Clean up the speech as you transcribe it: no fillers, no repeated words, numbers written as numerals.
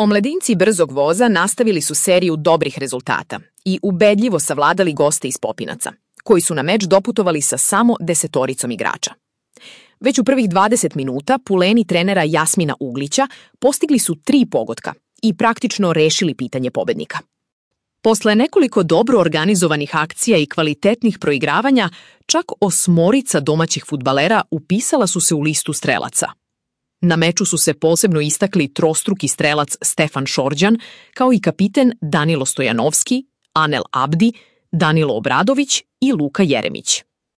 Omladinci brzog voza nastavili su seriju dobrih rezultata i ubedljivo savladali goste iz Popinaca, koji su na meč doputovali sa samo 10 igrača. Već u prvih 20 minuta puleni trenera Jasmina Uglića postigli su 3 pogotka i praktično rešili pitanje pobednika. Posle nekoliko dobro organizovanih akcija i kvalitetnih proigravanja, čak 8 domaćih fudbalera upisala su se u listu strelaca. Na meču su se posebno istakli trostruki strelac Stefan Šorđan, kao i kapiten Danilo Stojanovski, Anel Abdi, Danilo Obradović i Luka Jeremić.